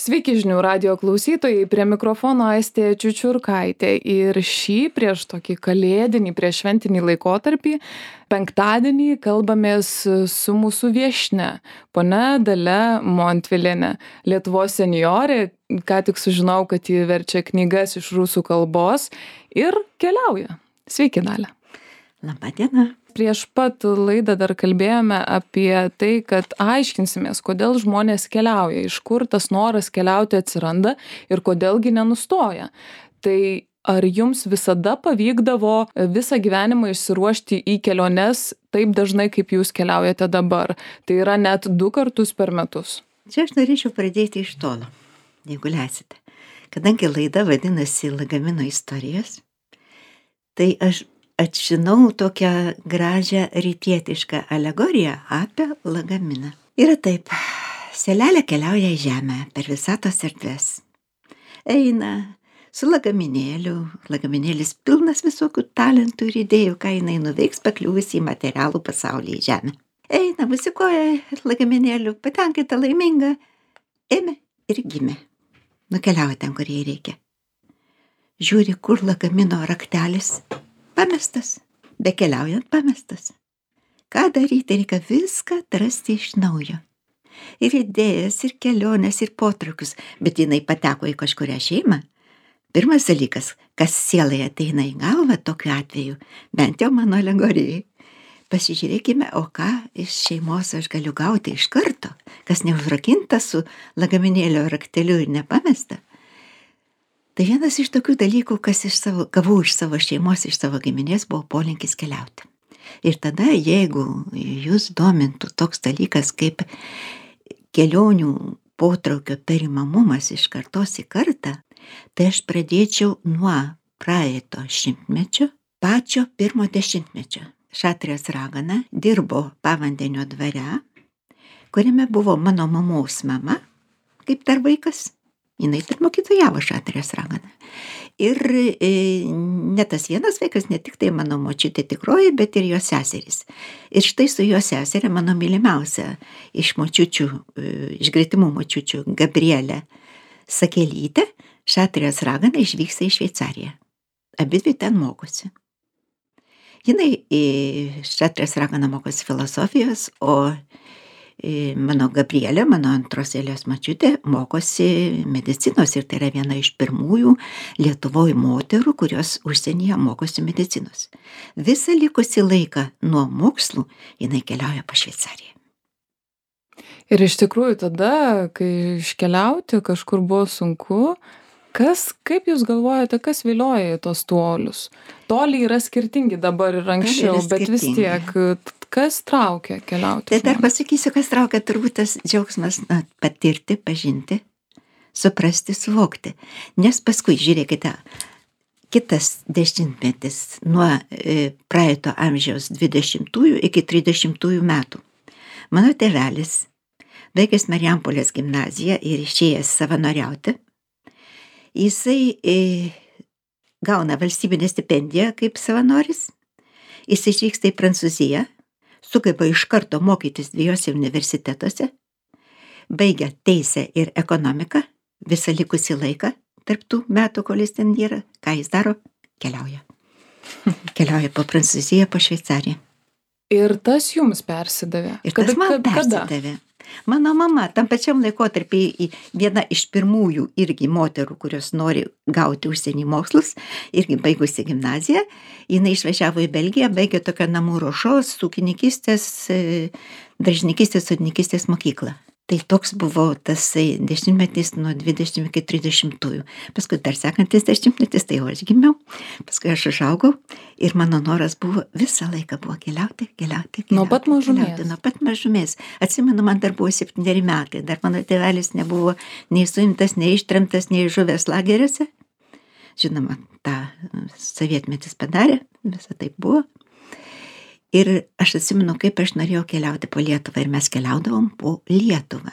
Sveiki žinių radijo klausytojai, prie mikrofono Aistė Čiučiurkaitė ir šį prieš tokį kalėdinį, prieš šventinį laikotarpį, penktadienį kalbamės su mūsų viešne, ponia Dalia Montvilienė, Lietuvos senjorė, ką tik sužinau, kad ji verčia knygas iš rusų kalbos ir keliauja. Sveiki, Dalia. Labą dieną. Prieš pat laidą dar kalbėjome apie tai, kad aiškinsimės, kodėl žmonės keliauja, iš kur tas noras keliauti atsiranda ir kodėlgi nenustoja. Tai ar jums visada pavykdavo visą gyvenimą išsiruošti į keliones taip dažnai, kaip jūs keliaujate dabar? Tai yra net 2 kartus per metus. Čia aš norėčiau pradėti iš tolo, jeigu leisite. Kadangi laida vadinasi Lagamino istorijos, tai aš atžinau tokią gražią rytietišką alegoriją apie lagaminą. Yra taip, selelė keliauja į žemę per visatos erdves. Eina su lagaminėliu, lagaminėlis pilnas visokių talentų ir idėjų, ką jinai nuveiks pakliuvusi į materialų pasaulį į žemę. Eina, musikuoja lagaminėliu, patenkinta laiminga, ėmė ir gimė. Nukeliauja ten, kur jai reikia. Žiūri, kur lagamino raktelis. Pamestas, bekeliaujant pamestas. Ką daryti, reikia viską atrasti iš naujo. Ir idėjas, ir keliones, ir potraukius, bet jinai pateko į kažkurią šeimą. Pirmas dalykas, kas sielai ateina į galvą tokiu atveju, bent jau mano alegorijai. Pasižiūrėkime, o ką iš šeimos aš galiu gauti iš karto, kas neužrakinta su lagaminėlio rakteliu ir nepamesta. Tai vienas iš tokių dalykų, kas gavau iš savo šeimos, iš savo giminės, buvo polinkis keliauti. Ir tada, jeigu jūs domintų toks dalykas kaip kelionių potraukio perimamumas iš kartos į kartą, tai aš pradėčiau nuo praeito šimtmečio, pačio 1 dešimtmečio. Šatrijos ragana dirbo Pavandenio dvare, kuriame buvo mano mamos mama, kaip dar vaikas. Jinai ir mokytojavo Šatrijos raganą. Ir ne tas vienas vaikas, ne tik tai mano močiutė tikroji, bet ir jos seserys. Ir štai su jos seserė, mano mylimiausia iš močiučių, iš gretimų močiučių, Gabrielė Sakelytė, Šatrijos ragana išvyksta į Šveicariją. Abidvi ten mokosi. Jinai į Šatrijos raganą mokosi filosofijos, o mano Gabrielė, mano antros eilės močiutė, mokosi medicinos ir tai yra viena iš pirmųjų Lietuvoje moterų, kurios užsienyje mokosi medicinos. Visą likusį laiką nuo mokslų jinai keliauja po Šveicariją. Ir iš tikrųjų tada, kai iškeliauti kažkur buvo sunku, kaip jūs galvojate, kas vilioja į tos tolius? Toliai yra skirtingi dabar ir anksčiau, bet vis tiek, kas traukia keliauti? Tai dar pasakysiu, kas traukia, turbūt tas džiaugsmas patirti, pažinti, suprasti, suvokti. Nes paskui, žiūrėkite, kitas dešimtmetis nuo praeito amžiaus 20-ųjų iki 30-ųjų metų. Mano tėvelis, baigęs Marijampolės gimnaziją ir išėjęs savanoriauti, jisai gauna valstybinę stipendiją kaip savanoris, jis išvyksta į Prancūziją, sugeba iš karto mokytis 2 universitetuose, baigia teisę ir ekonomiką, visą likusį laiką, tarp tų metų, kol jis ten yra, ką jis daro? Keliauja. Keliauja po Prancūziją, po Šveicariją. Ir tas jums persidavė? Ir tas man persidavė. Mano mama tam pačiam laikotarpį viena iš pirmųjų irgi moterų, kurios nori gauti užsienį mokslus, irgi baigusi gimnaziją, jinai išvažiavo į Belgiją, baigė tokią namų ruošos, ūkininkystės, daržininkystės, sodininkystės mokyklą. Tai toks buvo tas dešimtmetis nuo 20 iki 30-ųjų. Paskui dar sekantis dešimtmetis, tai jau aš gimiau, paskui aš užaugau ir mano noras buvo visą laiką buvo keliauti. Nuo pat mažumės. Nuo pat mažumės. Atsimenu, man dar buvo 7 metai, dar mano tėvelis nebuvo nei suimtas, nei ištremtas, nei žuvęs lageriuose. Žinoma, tą sovietmetis padarė, visą taip buvo. Ir aš atsimenu, kaip aš norėjau keliauti po Lietuvą ir mes keliaudavom po Lietuvą.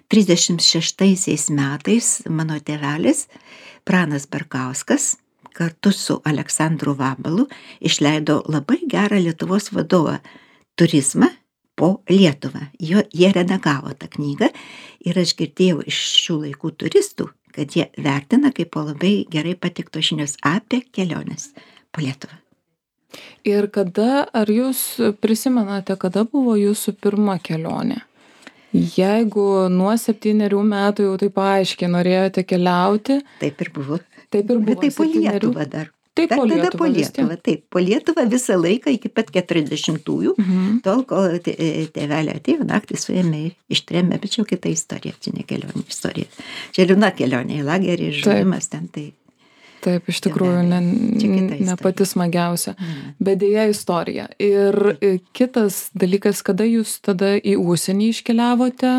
36 metais mano tėvelis, Pranas Barkauskas, kartu su Aleksandru Vabalu išleido labai gerą Lietuvos vadovą turizmą po Lietuvą. Jie redagavo tą knygą ir aš girdėjau iš šių laikų turistų, kad jie vertina kaip po labai gerai patiktos žinios apie keliones po Lietuvą. Ir ar jūs prisimenate, kada buvo jūsų pirma kelionė? Jeigu nuo 7 metų jau taip aiškiai norėjote keliauti. Taip ir buvo. Taip ir buvo. Bet tai po Lietuvą dar. Taip, po Lietuvą. Taip, po Lietuvą visą laiką iki pat 40-ųjų, tol, kol tėvelė atėjo, naktį suėmė, ištrėmė, bet čia jau kita istorija, čia ne kelionė istorija. Čia liūna kelionė į lagerį, žudimas ten tai. Taip, iš tikrųjų, ne pati smagiausia, bet dėja istorija. Ir kitas dalykas, kada jūs tada į užsienį iškeliavote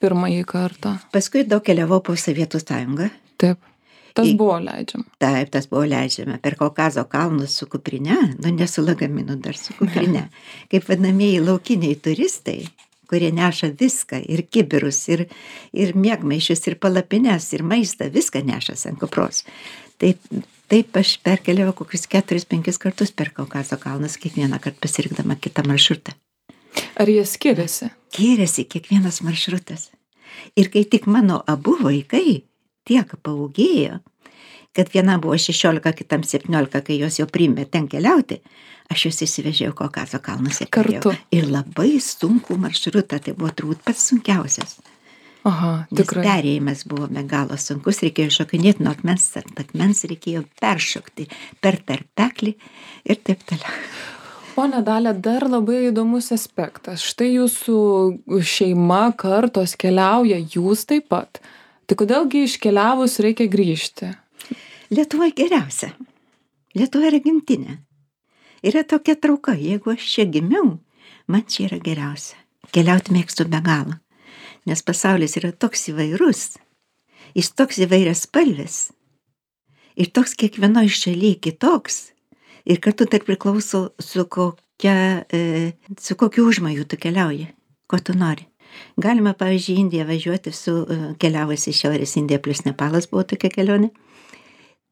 pirmąjį kartą? Paskui daug keliavau po Sovietų sąjungą. Taip, tas buvo leidžiama. Taip, tas buvo leidžiama. Per Kaukazo kalnus su kuprine, ne su lagaminu, dar su kuprine. Kaip vadinamieji laukiniai turistai, kurie neša viską, ir kibirus, ir miegmaišius, ir palapines, ir maistą, viską nešas ant kupros. Taip aš perkeliavau kokius 4-5 kartus per Kaukazo kalnus, kiekvieną kartą pasirinkdama kitą maršrutą. Ar jie skiriasi? Skiriasi kiekvienas maršrutas. Ir kai tik mano abu vaikai tiek paūgėjo, kad viena buvo 16, kitam 17, kai jos jau priėmė ten keliauti, aš juos įsivežiau Kaukazo kalnus kartu. Ir labai sunkų maršrutą, tai buvo turbūt pats sunkiausias. Aha, tikrai. Nes perėjimas buvo be galo sunkus, reikėjo šokinėti nuo akmens ant akmens, reikėjo peršokti per tarpeklį ir taip toliau. Pone Dalia, dar labai įdomus aspektas. Štai jūsų šeima, kartos keliauja, jūs taip pat. Tai kodėlgi iškeliavus reikia grįžti? Lietuvoje geriausia. Lietuva yra gimtinė. Yra tokia trauka, jeigu aš čia gimiau, man čia yra geriausia. Keliauti mėgstu be galo. Nes pasaulis yra toks įvairus, jis toks įvairias spalvis, ir toks kiekvienoje šalyje kitoks, ir kartu tai priklauso su kokiu užmojų tu keliauji, ko tu nori. Galima, pavyzdžiui, Indiją važiuoti keliavusi Šiaurės Indija plus Nepalas buvo tokia kelionė,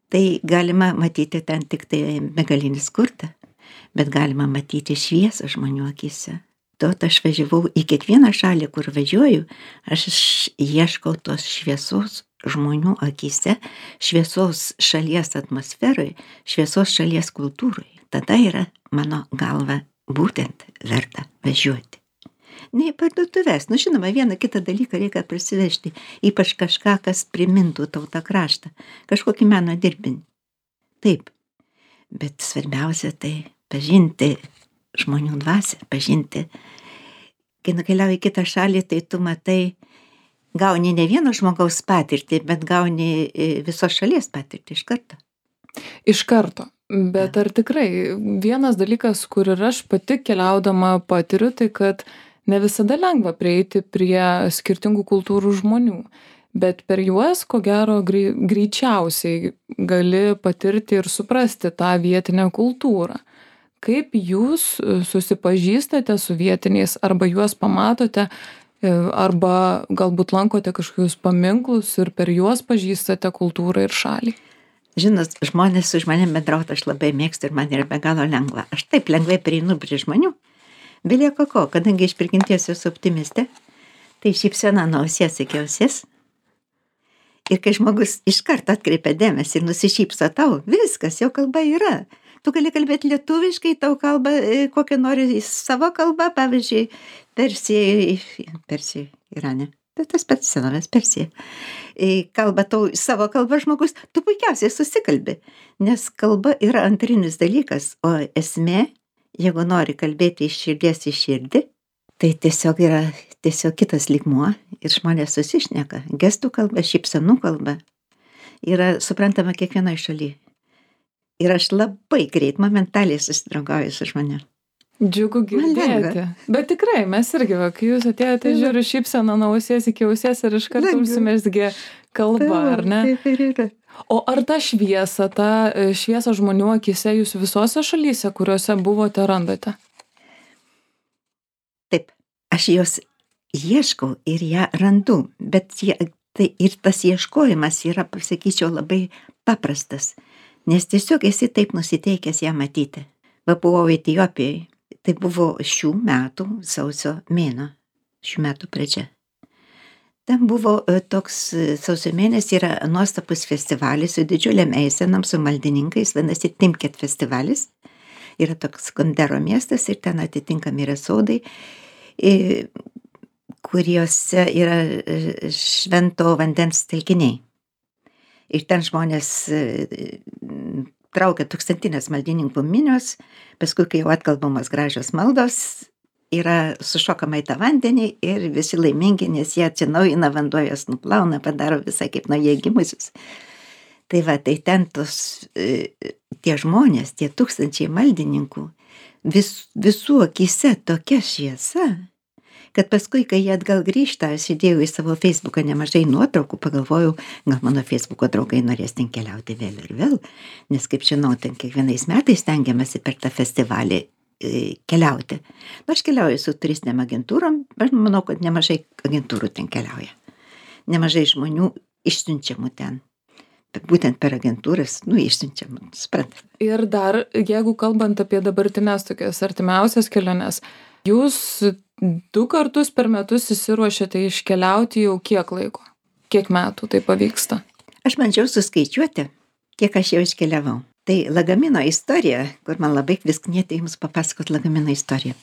tai galima matyti ten tik tai begalinį skurdą, bet galima matyti šviesą žmonių akyse. Aš važiavau į kiekvieną šalį, kur važiuoju, aš ieškau tos šviesos žmonių akyse, šviesos šalies atmosferoje, šviesos šalies kultūroje. Tada yra mano galva būtent verta važiuoti. Ne į parduotuves, žinoma, vieną kitą dalyką reikia prisivežti, ypač kažką, kas primintų tautą kraštą, kažkokį meno dirbinį. Taip, bet svarbiausia tai pažinti žmonių dvasią, pažinti. Kai nukeliauji į kitą šalį, tai tu matai, gauni ne vieno žmogaus patirtį, bet gauni visos šalies patirtį iš karto. Iš karto. Bet ar tikrai vienas dalykas, kur ir aš pati keliaudama patiriu, tai kad ne visada lengva prieiti prie skirtingų kultūrų žmonių. Bet per juos, ko gero, greičiausiai gali patirti ir suprasti tą vietinę kultūrą. Kaip jūs susipažįstate su vietiniais, arba juos pamatote, arba galbūt lankote kažkokius paminklus ir per juos pažįstate kultūrą ir šalį? Žinot, žmonės su žmonėm bendrauti aš labai mėgstu ir man yra be galo lengva. Aš taip lengvai prieinu prie žmonių. Belieka ko, kadangi iš prigimties esu optimistė, tai šypsena nuo ausies iki ausies. Ir kai žmogus iš karto atkreipia dėmesį ir nusišypso tau, viskas, jau kalba yra. Tu gali kalbėti lietuviškai, tau kalba kokią nori savo kalbą, pavyzdžiui, Persija, Irane. Tas pats senovės Persija. Kalba tau savo kalbą žmogus, tu puikiausiai susikalbi, nes kalba yra antrinis dalykas, o esmė, jeigu nori kalbėti iš širdies į širdį, tai tiesiog yra kitas lygmuo ir žmonės susišneka. Gestų kalba, šypsenų kalba yra suprantama kiekvienoje šalyje. Ir aš labai greit, momentaliai susidraugauju su žmonėm. Džiugu girdėti. Bet tikrai, mes irgi, kai jūs atėjote, žiūriu šypseną nuo ausies iki ausies ir iš karto užsimezgė kalba, ar ne? Taip ir yra. O ar tą šviesą žmonių akyse jūs visose šalyse, kuriuose buvote, randate? Taip, aš jos ieškau ir ją randu, bet ir tas ieškojimas yra, pasakyčiau, labai paprastas. Nes tiesiog esi taip nusiteikęs ją matyti. Buvau Etijopijoje, Tai buvo šių metų sausio mėnuo, šių metų pradžia. Ten buvo toks sausio mėnesį yra nuostabus festivalis su didžiuliam eisenam, su maldininkais, vadinasi Timket festivalis. Yra toks Gondero miestas ir ten atitinkami yra sodai, kuriuose yra švento vandens telkiniai. Ir ten žmonės traukia tūkstantinės maldininkų minios, paskui, kai jau atkalbamos gražios maldos, yra sušokama į tą vandenį ir visi laimingi, nes jie atsinaujina, vanduo jas nuplauna, padaro visai kaip naujai gimusius. Tai va, tai ten tie žmonės, tie tūkstančiai maldininkų, visų akyse tokia šviesa, kad paskui, kai jie atgal grįžta, aš įdėjau į savo Facebooką nemažai nuotraukų, pagalvojau, gal mano Facebooko draugai norės ten keliauti vėl ir vėl, nes kaip žinau, ten kiekvienais metais stengiamasi per tą festivalį keliauti. Aš keliauju su turistinėm agentūrom, aš manau, kad nemažai agentūrų ten keliauja. Nemažai žmonių išsiunčiamų ten. Būtent per agentūras, išsiunčiamų, suprantat. Ir dar, jeigu kalbant apie dabartinės tokias artimiausias keliones, jūs 2 kartus per metus įsiruošiate iškeliauti jau kiek laiko? Kiek metų tai pavyksta? Aš bandžiau suskaičiuoti, kiek aš jau iškeliavau. Tai lagamino istorija, kur man labai vis knieti jums papasakot lagamino istoriją.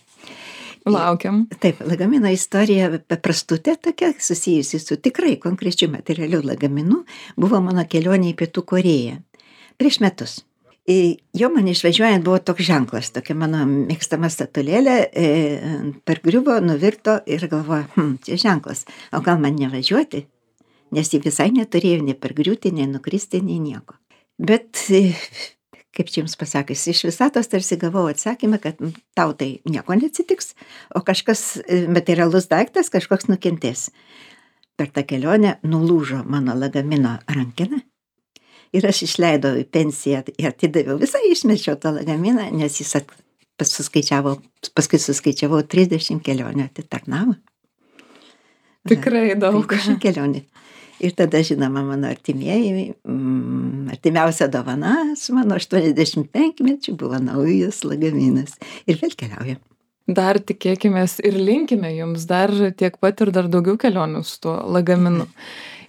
Laukiam. Taip, lagamino istorija paprastutė tokia, susijusi su tikrai konkrečiu materialiu lagaminu, buvo mano kelionė į Pietų Korėją. Prieš metus. Jo man išvažiuojant buvo toks ženklas, tokia mano mėgstama statulėlė, pargriuvo, nuvirto ir galvoju, čia ženklas, o gal man nevažiuoti, nes jį visai neturėjo nei pargriūti, nei nukristi, nei nieko. Bet, kaip čia jums pasakys, iš visatos tarsi gavau atsakymą, kad tau tai nieko neatsitiks, o kažkas materialus daiktas, kažkoks nukentės. Per tą kelionę nulūžo mano lagamino rankena ir aš išleidau į pensiją ir atidaviau, visai išmečiau tą lagaminą, nes jis paskui suskaičiavau 30 kelionių atitarnavo. Tikrai daug. 30 kelionių. Ir tada, žinoma, mano artimiausia dovana su mano 85-mečiu buvo naujas lagaminas. Ir vėl keliaujam. Dar tikėkimės ir linkime jums dar tiek pat ir dar daugiau kelionių su tuo lagaminu.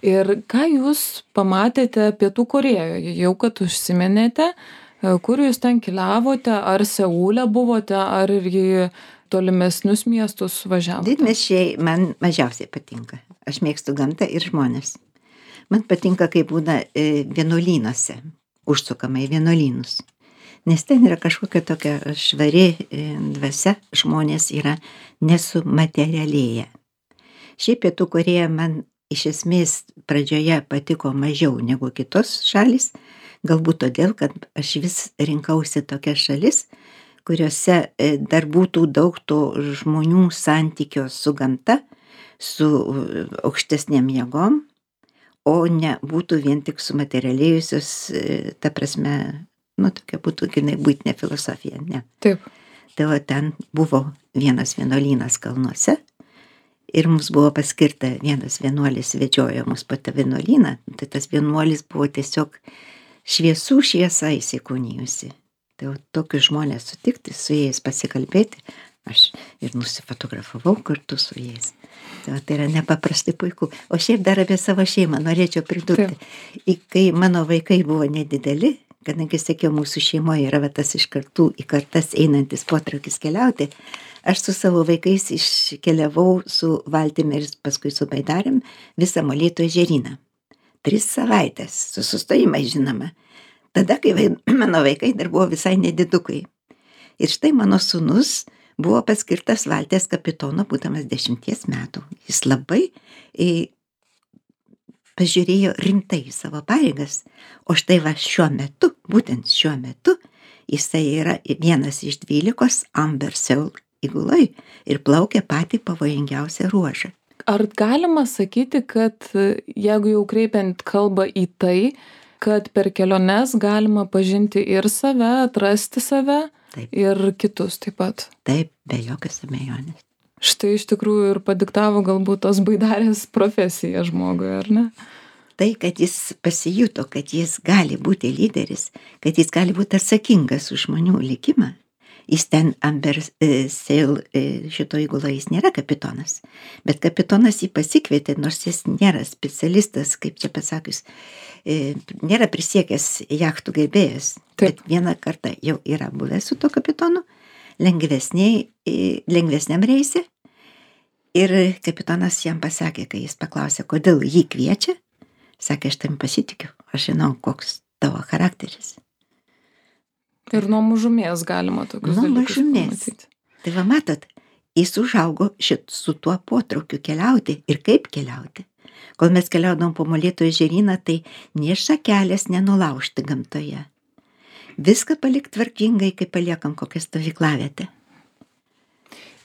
Ir ką jūs pamatėte Pietų Korėjoje? Jau kad užsiminėte, kur jūs ten keliavote, ar Seule buvote, ar ir į tolimesnius miestus važiavote? Didmiesčiai man mažiausiai patinka. Aš mėgstu gamtą ir žmonės. Man patinka, kai būna vienuolynuose, užsukama į vienuolynus. Nes ten yra kažkokia tokia švari dvasia, žmonės yra nesumaterialėję. Šiaip Pietų Korėja man iš esmės pradžioje patiko mažiau negu kitos šalys, galbūt todėl, kad aš vis rinkausi tokias šalis, kuriuose dar būtų daug to žmonių santykio su gamta, su aukštesnėm jėgom, o ne būtų vien tik sumaterialėjusios, ta prasme, tokia būtų buitinė filosofija, ne. Taip. Tai va, ten buvo vienas vienuolynas kalnuose ir mums buvo paskirta vienas vienuolis vedžiojo mus po tą vienuolyną, tai tas vienuolis buvo tiesiog šviesų šviesa įsikūnijusi. Tai tokius žmonės sutikti, su jais pasikalbėti, aš ir nusifotografavau kartu su jais. Tai yra nepaprastai puiku. O šiaip dar apie savo šeimą norėčiau pridurti. Kai mano vaikai buvo nedideli, kadangi sakiau, mūsų šeimoje yra tas iš kartų į kartas einantis potraukis keliauti, aš su savo vaikais iškeliavau su valtimi ir paskui su baidarėm visą Molėtų ežeryną. 3 savaitės, su sustojimais žinoma. Tada, kai mano vaikai dar buvo visai nedidukai. Ir štai mano sūnus buvo paskirtas valties kapitono, būdamas 10 metų. Jis labai pažiūrėjo rimtai į savo pareigas. O štai va šiuo metu, jisai yra vienas iš 12 Amber Seul įguloj ir plaukia patį pavojingiausią ruožą. Ar galima sakyti, kad jeigu jau kreipiant kalbą į tai, kad per keliones galima pažinti ir save, atrasti save, taip, ir kitus taip pat? Taip, be jokios abejonės. Štai iš tikrųjų ir padiktavo galbūt tos baidarės profesiją žmogui, ar ne? Tai, kad jis pasijuto, kad jis gali būti lyderis, kad jis gali būti atsakingas už žmonių likimą, Jis ten Amber Sail šito įgulo, jis nėra kapitonas, bet kapitonas jį pasikvietė, nors jis nėra specialistas, kaip čia pasakius, nėra prisiekęs jachtų gerbėjas, bet vieną kartą jau yra buvęs su to kapitonu, lengvesniam reise, ir kapitonas jam pasakė, kai jis paklausė, kodėl jį kviečia, sakė, aš tam pasitikiu, aš žinau, koks tavo charakteris. Ir nuo mažumės galima tokius dalykus pamatyti. Tai va matot, jis užaugo su tuo potraukiu keliauti ir kaip keliauti. Kol mes keliaudom po Molėtų ežeryną, tai nė šakelės nenulaužti gamtoje. Viską palik tvarkingai, kai paliekam kokią stovyklavietę.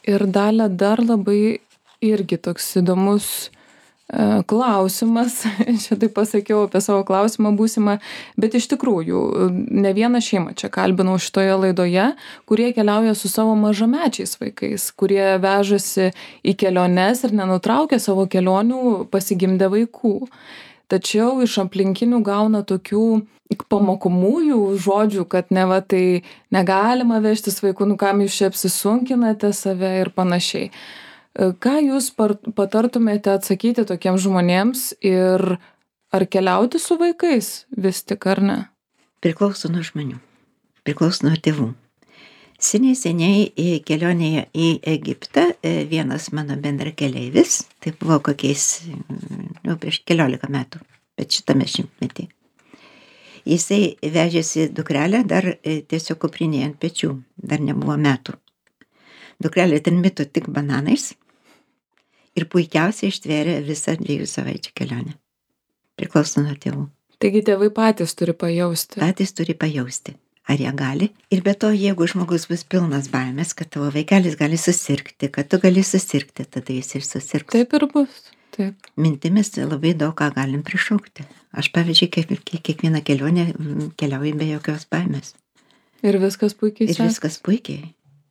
Ir Dalia, dar labai irgi toks įdomus klausimas, čia taip pasakiau apie savo klausimą būsimą, bet iš tikrųjų ne vieną šeimą čia kalbinau šitoje laidoje, kurie keliauja su savo mažamečiais vaikais, kurie vežasi į keliones ir nenutraukia savo kelionių pasigimdę vaikų. Tačiau iš aplinkinių gauna tokių pamokomųjų žodžių, kad neva tai negalima vežtis vaikų, nu kam jūs čia apsisunkinate save ir panašiai. Ką jūs patartumėte atsakyti tokiems žmonėms ir ar keliauti su vaikais vis tik ar ne? Priklauso nuo žmonių, priklauso nuo tėvų. Seniai kelionėje į Egiptą vienas mano bendrakeleivis, tai buvo kokiais, prieš 14 metų, bet šitame šimtmetį. Jisai vežėsi dukrelę dar tiesiog kuprinėje ant pečių, dar nebuvo metų. Dukrelė ten mito tik bananais ir puikiausiai ištvėrė visą 2 savaičių kelionę. Priklauso nuo tėvų. Taigi tėvai patys turi pajausti. Patys turi pajausti, ar jie gali. Ir be to, jeigu žmogus bus pilnas baimės, kad tavo vaikelis gali susirgti, kad tu gali susirgti, tada jis ir susirgs. Taip ir bus. Taip. Mintimis labai daug ką galim prišaukti. Aš, pavyzdžiui, kiekvieną kelionę keliauju be jokios baimės. Ir viskas puikiai sekasi.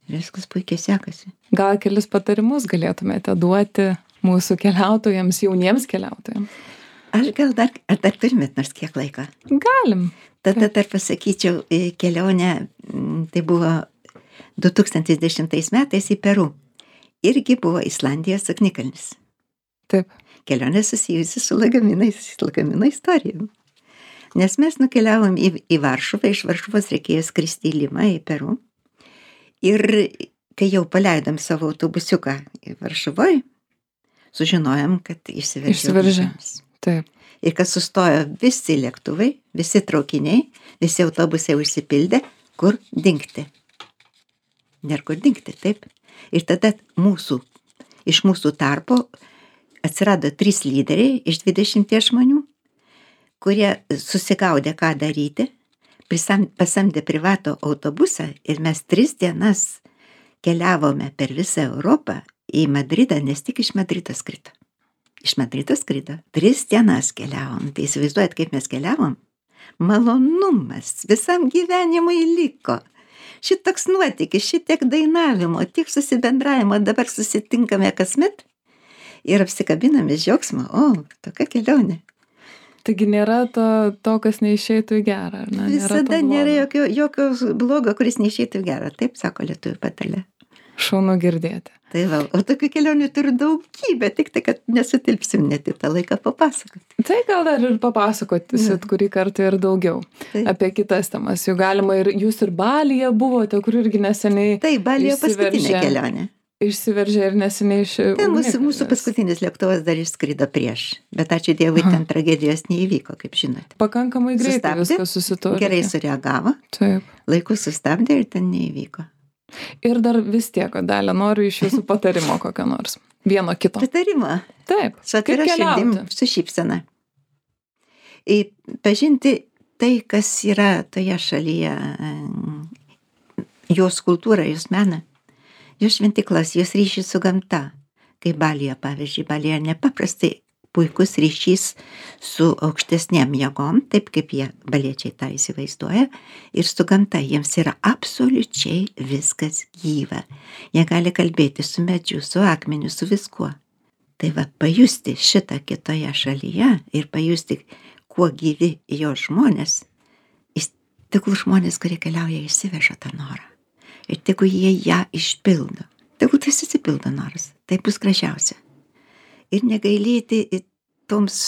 Ir viskas puikiai sekasi. Gal kelis patarimus galėtumėte duoti mūsų keliautojams, jauniems keliautojams? Aš gal dar turimėt nors kiek laiko? Galim. Tada dar pasakyčiau, kelionę, tai buvo 2010 metais į Peru. Irgi buvo Islandijos ugnikalnis. Taip. Kelionė susijusi su lagamino istorija. Nes mes nukeliavom į Varšuvą, iš Varšuvos reikėjo skristi į Limą, į Peru. Ir kai jau paleidom savo autobusiuką į Varšuvoje, sužinojom, kad išsiveržė. Taip. Ir kad sustojo visi lėktuvai, visi traukiniai, visi autobusai užsipildė, kur dingti. Nėra kur dingti, taip. Ir tada iš mūsų tarpo atsirado 3 lyderiai iš 20 žmonių, kurie susigaudė, ką daryti, pasamdė privatų autobusą ir mes 3 dienas keliavome per visą Europą į Madridą, nes tik iš Madrido skrido. Iš Madrido skrido. 3 dienas keliavom. Tai įsivaizduojat, kaip mes keliavom? Malonumas visam gyvenimui liko. Šitoks nuotykis, šitiek dainavimo, tiek susibendravimo, dabar susitinkame kasmet ir apsikabiname džiaugsmą. O, tokia kelionė. Taigi nėra to, kas neišeitų į gerą, ar ne? Visada nėra jokio blogo, kuris neišeitų į gerą. Taip sako lietuvių patarlė. Šaunu girdėti. Tai va, o tokių kelionių turiu daugybę, tik tai, kad nesutilpsim net į tą laiką papasakoti. Tai gal dar ir papasakotisit kurį kartą ir daugiau apie kitas temas. Jau galima ir jūs ir Balyje buvote, kur irgi neseniai Tai Balyje paskutinė kelionė. Išsiveržė ir neseniai iš... Ten mūsų paskutinis lėktuvas dar išskrido prieš, bet ačiū Dievui, ten tragedijos neįvyko, kaip žinote. Pakankamai greitai viskas susitvarkė. Gerai sureagavo, Taip. Laiku sustabdė ir ten neįvyko. Ir dar vis tiek, Dalia, noriu iš jūsų patarimo kokio nors. Vieno kito. Patarimo? Taip. Su atvira širdim, su šypsena. Pažinti tai, kas yra toje šalyje, jos kultūrą, jos meną. Jos šventiklas, jos ryšys su gamta, kaip Balyje, pavyzdžiui, Balyje nepaprastai puikus ryšys su aukštesnėm jėgom, taip kaip jie baliečiai tą įsivaizduoja, ir su gamta jiems yra absoliučiai viskas gyva. Jie gali kalbėti su medžiu, su akmeniu, su viskuo. Tai va, pajusti šitą kitoje šalyje ir pajusti, kuo gyvi jo žmonės, tiklų žmonės, kurie keliauja, išsiveža tą norą. ir tegu jie ją išpildo. Tegu tas išsipildo noras, tai bus gražiausia. Ir negailėti toms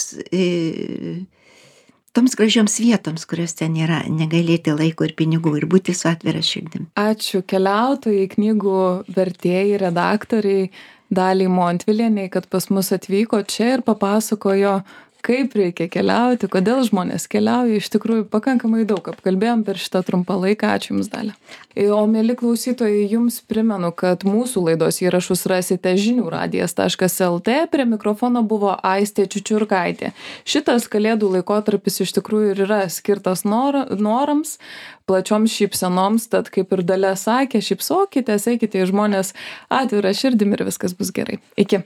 gražioms vietoms, kurios ten yra, negailėti laiko ir pinigų ir būti su atvira širdim. Ačiū keliautojai, knygų vertėjai, redaktoriai Daliai Montvilienei, kad pas mus atvyko čia ir papasakojo, kaip reikia keliauti, kodėl žmonės keliauja. Iš tikrųjų, pakankamai daug apkalbėjom per šitą trumpą laiką. Ačiū Jums, Dalia. O mieli klausytojai, Jums primenu, kad mūsų laidos įrašus rasite žiniųradijas.lt. Prie mikrofono buvo Aistė Čiučiurkaitė. Šitas kalėdų laikotarpis iš tikrųjų ir yra skirtas norams, plačioms šypsenoms, tad kaip ir Dalia sakė, šypsokitės, eikite į žmonės atvirą širdim ir viskas bus gerai. Iki.